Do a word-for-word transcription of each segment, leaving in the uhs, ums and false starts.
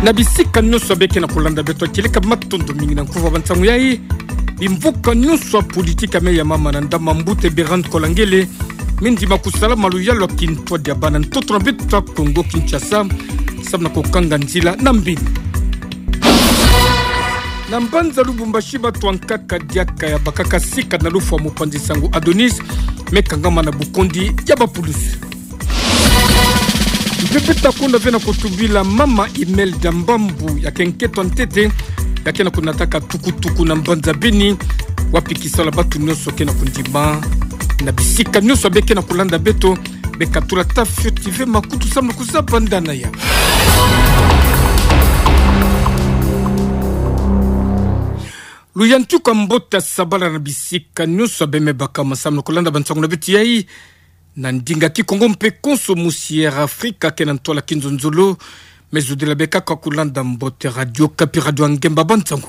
Na bisika nyonso beke na kolanda beto, kieleka matondo mingi na nkuva ba nsangu yai. Bimvuka nyonso ya politiki ya me ya mama na ndambu, mbuta Bertrand Kolangele, me ndima kusala maluyalu ya kintwadi ya bana ntoto na beto ya Kongo Kinshasa, samu na kokanga nzila na mbini. Na mbanza Lubumbashi, bato ankaka diaka ya bakaka sika na lufwa mopanzi nsangu Adonis, me kangama na bukondi ya bapulusi. Mpe beto takonda ve na kotubila mama Imelda Mbambu, ya ke nketo ya ntete ya ke na konataka tukutuku na mbanza Beni, wapi kisalu ya bato nyonso ke na kondima. Na bisika nyonso beke na kolanda beto, beka tula ta fioti ve makutu samu na kuzaba ndana ya. Luyantika mbote ya sabala na bisika nyonso be me baka masamu na kolanda ba nsangu na beto yai. Na ndinga Kikongo mpe konso musi Air Afrika ke na ntwala kinzonzolo, me zodila be kaka kolanda mbote Radio Okapi, radio ya ngemba ba nsangu.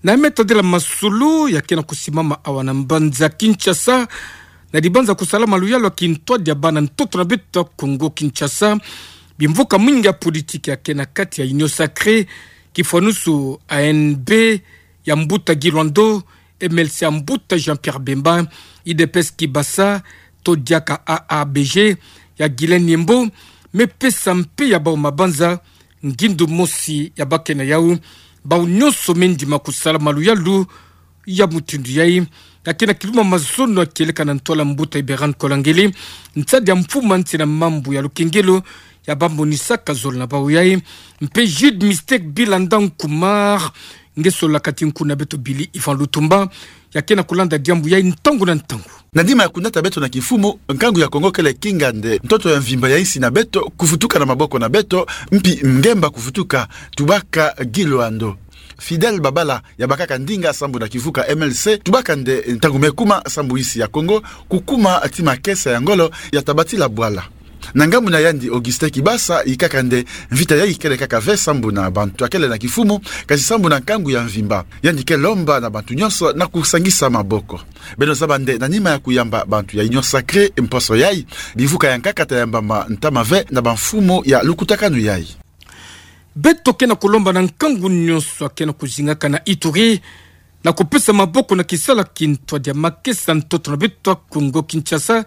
Na me tadila masolo ya ke na kusimama awa na mbanza Kinshasa, na dibanza kusala maluyalu ya kintwadi ya bana ntoto na beto ya Kongo Kinshasa, bimvuka mingi ya politiki ya ke na kati ya Union Sacrée, kifwanusu A N B ya mbuta Guy Loando, M L C ya mbuta Jean-Pierre Bemba, U D P S Kibasa, to diaka A A B G ya Guylain Yembo, me pesa mpe ya bau mabanza ngindu mosi ya bake na yau. Bau nyonso me ndima kusala maluyalu ya mutindu yai. Na ke na kiluma mazono ya kieleka na ntwala mbuta Bertrand Kolangele, nsadi ya mfumu ya nsi na mambu ya lukengelo, ya bamonisaka zolo na bau yai. Mpe Jude Mystique Bilanda Nkumar, nge solaka ti nkuna beto Billy Ivan Lutumba, ya ke na kolanda diambu yai ntangu na ntangu. Na nima ya kunata beto na kimfumu, nkangu ya Kongo kele kingande ntoto ya mvimba ya insi na beto kuvutuka na maboko na beto, mpi ngemba kuvutuka, tubaka Guy Loando. Fidèle Babala, ya bakaka ndinga sambu na kivuka M L C, tubaka nde ntangu me kuma sambu insi ya Kongo kukuma ti makesa ya ngolo ya tabatila bwala. Na ngambu na yandi, Augustin Kibasa, ikaka nde mvita yai kele kaka ve sambu na bantu ya kele na kimfumu, kasi sambu na nkangu ya mvimba. Yandi ke lomba na bantu nyonso na kusangisa maboko. Beno zaba nde na nima ya kuyamba bantu ya Union Sacrée mposo yai, bivuka ya nkaka ta yambama ntama ve na bamfumu ya lukutakanu yai. Beto ke na kulomba na nkangu nyonso ya ke na kuzingaka na Ituri, na kupesa maboko na kisalu ya kintwadi ya makesa ntoto na beto ya Kongo Kinshasa,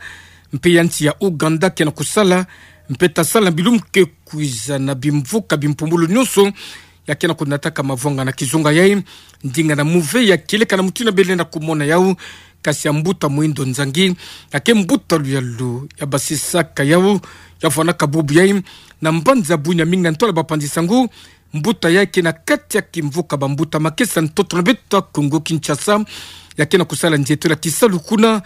mpe ya nsi ya Ouganda ke na kusala, mpe ta sala na bilumbu ke kwiza na bimvuka bimpumbulu nyonso ya ke na kunataka mavwanga na kizunga yai. Ndinga na muve ya kieleka na mutindu bele na kumona yau, kasi ya mbuta Muhindo Nzangi, ya ke mbuta luyalu ya basisaka yau, ya vwanaka bubu yai na mbanza Bunia, mingi na ntwala bapanzi nsangu. Mbuta yai ke na kati ya kimvuka bambuta makesa ntoto na beto ya Kongo Kinshasa, ya ke na kusala nzietolo ya kisalu kuna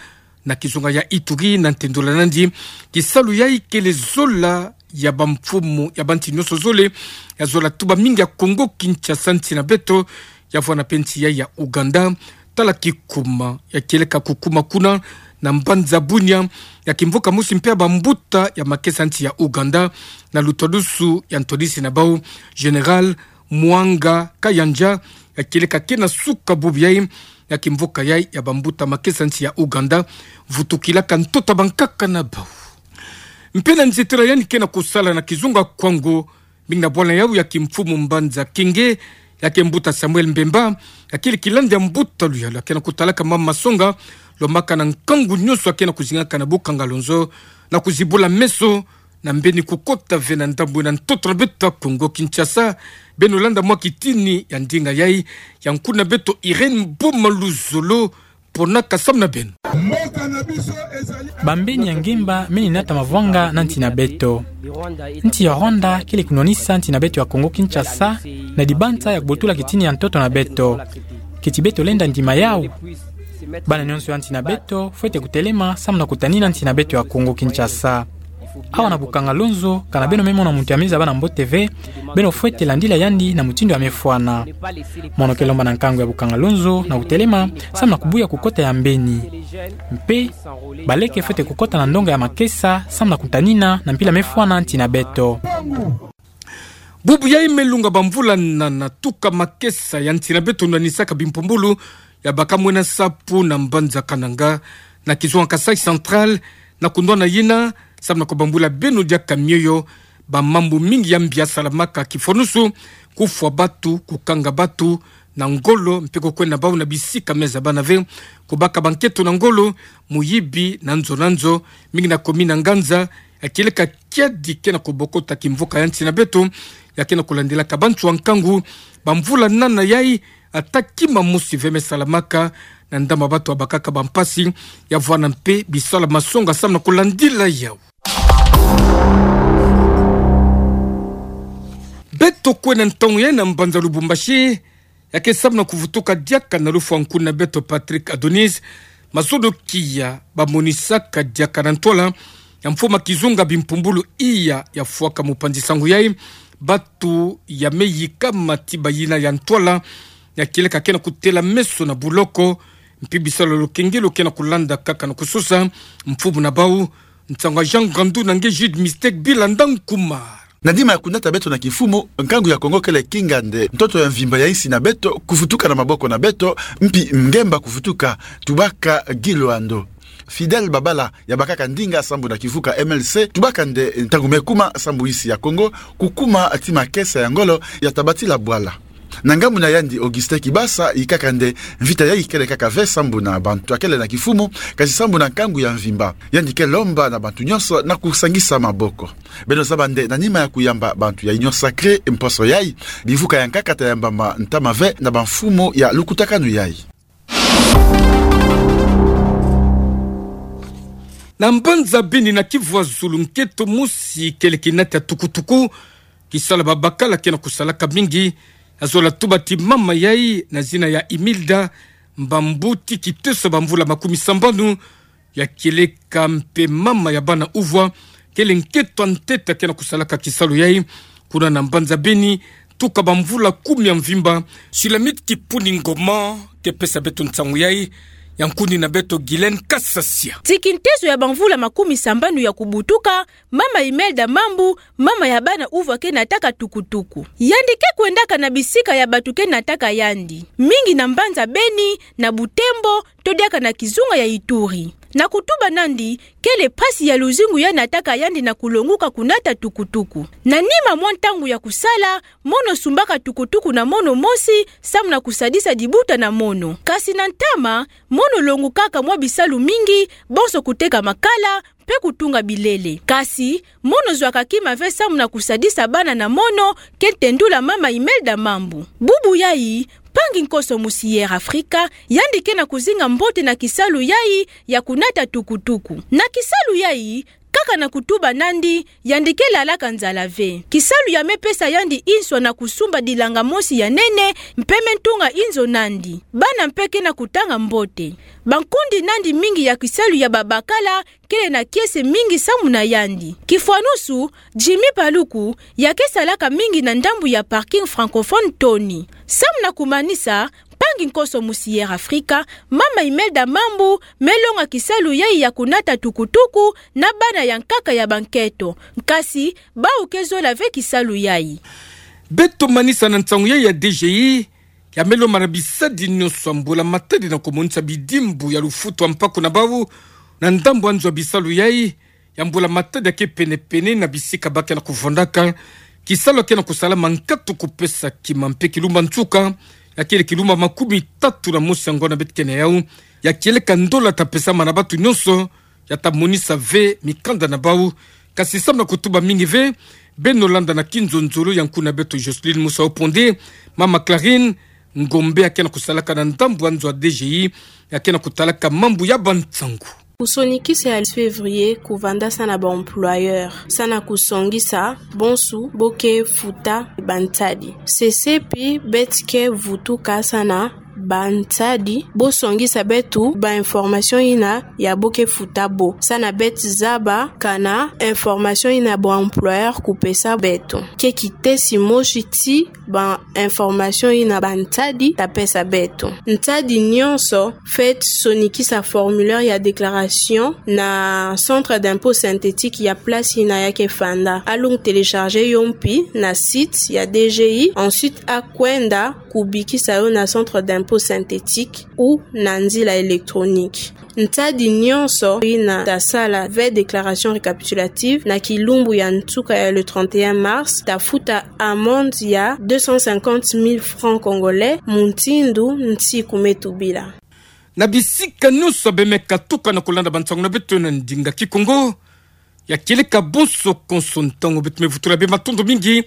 na kizunga ya Ituri, na ntendola nandi, kisalu yai kele zola ya bamfumu ya bansi nyonso zole, ya zola tuba mingi ya Kongo Kinshasa, nsi na beto, ya vwana mpe nsi yai ya Ouganda. Tala kikuma ya kieleka kukuma kuna na mbanza Bunia, ya kimvuka mosi mpe ya bambuta ya makesa nsi ya Ouganda, na lutwadusu ya ntwadisi na bau, Général Muhoozi Kayanja, ya kieleka ke na suka bubu yai, ya kimvuka yai ya bambuta makesa nsi ya Ouganda, vutukilaka ntoto ya bankaka na bau. Mpe na nzietolo ya yandi ke na kusala na kizunga Kwango, mingi na bwala yau ya kimfumu mbanza Kenge, ya ke mbuta Samuel Mbemba, ya kele kilandi ya mbuta luyalu ya ke na kutalaka mama masonga, lomaka na nkangu nyonso ya ke na kuzingaka na Bukangalonzo, na kuzibula meso na mbeni kukota ve na ndambu ina ntoto na beto ya Kongo Kinshasa. Beno landa mwa kitini ya ndinga yai, ya nkuna beto Irène Boma Luzolo, pona kasamu na beno. Bambeni ya ngemba me ninata mavwanga na nsi na beto. Nsi ya Rwanda kele kunwanisa nsi na beto ya Kongo Kinshasa, na dibanza ya kubotula kitini ya ntoto na beto. Keti beto lenda ndima yau? Bana nyonso ya nsi na beto fwete kutelema samu na kutanina nsi na beto ya Kongo Kinshasa. Awa na Bukangalonzo, kana beno me mona muntu ya me zaba na mbote ve, beno fwete landila yandi na mutindu ya me fwana. Mono ke lomba na nkangu ya Bukangalonzo na kutelema samu na kubuya kukota ya mbeni. Mpe baleke fwete kukota na ndonga ya makesa samu na kutanina na mpila me fwana nsi na beto. Bubu yai me lunga bamvula nana, tuka makesa ya nsi na beto nwanisaka bimpumbulu ya baka mwena sapu na mbanza Kananga, na kizunga Kasaï Central, na kunwana yina samu na kubambula beno diaka mioyo. bamambu mingi ya mbi yasalamaka, kifwanusu kufwa batu, kukanga batu na ngolo, mpe kukwenda bau na bisika mia zabana ve, kubaka banketo na ngolo, muyibi na nzo na nzo, mingi na commune na Nganza, ya kieleka kiadi ke na kubokota kimvuka ya nsi na beto, ya ke na kulandilaka bantu ya nkangu, bamvula nana yai, ata kima mosi ve me salamaka, na ndambu ya batu ya bakaka bampasi, ya vwanda mpe bisalu ya masonga samu na kulandila yau. Beto kwenda ntangu yai na mbanza Lubumbashi, ya ke samu na kuvutuka diaka na lufwa nkuni na beto Patrick Adonis, mazono kia bamonisaka diaka na ntwala ya mfumu kizunga Bimpumbulu Iya, ya fwaka mupanzi-sango yai, batu ya me yika matiba yina ya ntwala, ya kieleka ke na kutela meso na buloko, mpe bisalu ya lukengelo ke na kulanda kaka na kusosa, mfumu na bau, nsangu ya Jean Ngandu na nge Jude Mistake Bilanda Nkumar. Na nima ya kunata beto na kimfumu, nkangu ya Kongo kele kinga nde ntoto ya mvimba ya insi na beto kuvutuka na maboko na beto, mpi ngemba kuvutuka, tubaka Guy Loando. Fidèle Babala, ya bakaka ndinga sambu na kivuka M L C, tubaka nde ntangu me kuma sambu insi ya Kongo kukuma ti makesa ya ngolo, ya tabatila bwala. Na ngambu na yandi, Augustin Kibasa, yikaka nde mvita yai kele kaka ve sambu na bantu ya kele na kimfumu, kasi sambu na nkangu ya mvimba. Yandi ke lomba na bantu nyonso na kusangisa maboko. Beno zaba nde na nima ya kuyamba bantu ya Union Sacrée mposo yai, bimvuka ya nkaka ta yambama ntama ve na bamfumu ya lukutakanu yai. Na mbanza Beni, na Kivu ya zulu, nketo mosi kele kinata tukutuku, kisalu ya babakala ke na kusalaka mingi, ya zola tuba ti mama yai na zina ya Imilda Mbambu, ti kiteso ya bamvula makumi sambanu, ya kieleka mpe mama ya bana uvwa, kele nketo ya ntete ke na kusalaka kisalu yai kuna na mbanza Beni, tuka bamvula kumi ya mvimba. Sulamite Kipuni Ngoma ke pesa beto nsangu yai, ya nkuni na beto Guylaine Kasasia. Ti kiteso ya bamvula makumi sambanu ya kubutuka, mama Imelda Mambu, mama ya bana uvwa, ke nataka tukutuku. Yandi ke kwendaka na bisika ya batu ke nataka yandi, mingi na mbanza Beni, na Butembo, to diaka na kizunga ya Ituri. Na kutuba nandi, kele mpasi ya luzingu ya nataka yandi na kulonguka kunata tukutuku. Na nima mwa ntangu ya kusala, mono sumbaka tukutuku na mono mosi, samu na kusadisa dibuta na mono. Kasi na ntama, mono longukaka mwa bisalu mingi, bonso kuteka makala, mpe kutunga bilele. Kasi, mono zwaka kima ve samu na kusadisa bana na mono, ke tendula mama Imelda Mambu. Bubu yai, mpangi nkoso musi Air Africa, yandi ke na kuzinga mbote na kisalu yai ya kunata tukutuku. Na kisalu yai, kaka na kutuba nandi, yandi ke lalaka nzala ve. Kisalu ya me pesa yandi nswa na kusumba dilanga mosi ya nene, mpe me ntunga inzo nandi. Bana mpe ke na kutanga mbote. Bankundi nandi mingi ya kisalu ya babakala, kele na kiese mingi samu na yandi. Kifwanusu, Jimmy Paluku, ya ke salaka mingi na ndambu ya parking francophone Tony. Samu na kumanisa, mpangi nkoso musi Air Africa, mama Imelda Mambu, me longa kisalu yai ya kunata tukutuku na bana ya nkaka ya banketo. Nkasi, bau ke zola ve kisalu yai. Beto manisa na nsangu yai ya D G I, ya me lomba na bisadi nyonso ya mbula-matadi na kumonisa bidimbu ya lufutu ya mpaku na bau, na ndambu ya nzo ya bisalu yai, ya mbula-matadi ya ke pene-pene na bisika ba ke na kuvandaka, kisalu ya ke na kusalama nkatu kupesa kima mpe kilumba nsuka, ya kele kilumba makumi tatu na mosi ya ngonda beto ke na yau, ya kieleka ndola ta pesama na batu nyonso, ya ta monisa ve mikanda na bau, kasi samu na kutuba mingi ve, beno landa na kinzonzolo ya nkuni na beto Jocelyne Musa Oponde, mama Clarine Ngombe ya ke na kusalaka na ndambu ya nzo ya D G I, ya ke na kutalaka mambu ya bansangu. Kusonikisa ya février kuvanda sa na ba employeur, sa na kusongisa bonso bo ke futa bantadi. Sesepi beto ke vutuka sa na bantadi, bo songisa beto ba information yina ya bo ke futa bo. Sa na beto zaba kana information yina ba employeur kupesa beto ke kitesi mosi ti ba information yina bantadi ta pesa beto. Ntadi nyonso fweti sonikisa formulaire ya déclaration na centre d'impôt synthétique ya place yina ya ke fanda. Alung télécharger yo mpi na site ya D G I, ensuite akwenda kubikisa yo na centre d'impôt synthétique ou na nzila électronique. Ntadi nyonso ina ta sala ve déclaration récapitulative na kilumbu ya ntuka ya le trente et un mars ta futa amende ya deux cent cinquante mille francs congolais, mutindu nti kume tubila. Na bisika nyonso bemeka tuka na kulanda bansangu na beto na ndinga Kikongo, ya kieleka bonso konso ntangu, beto mevutula be matondo mingi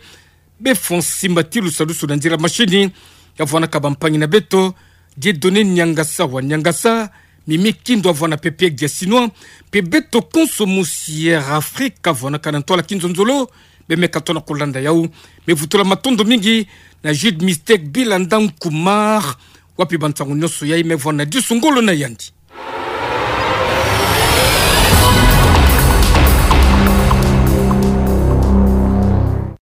be Fonsi Mbatilu salusu na nzila mashini, ya vwanaka bampangi na beto, Dieudonné Niangasa wa Niangasa, Mimi Kindo wa vwana Pepe Diasinoa, mpe beto konso musi Air Afrique wa vwanaka na ntwala kinzonzolo, bemeka tona kulanda yau. Mevutula matondo mingi na Jude Mistake Bilanda Nkumar, wapi bansangu nyonso yai mevwana disu ngolo na yandi.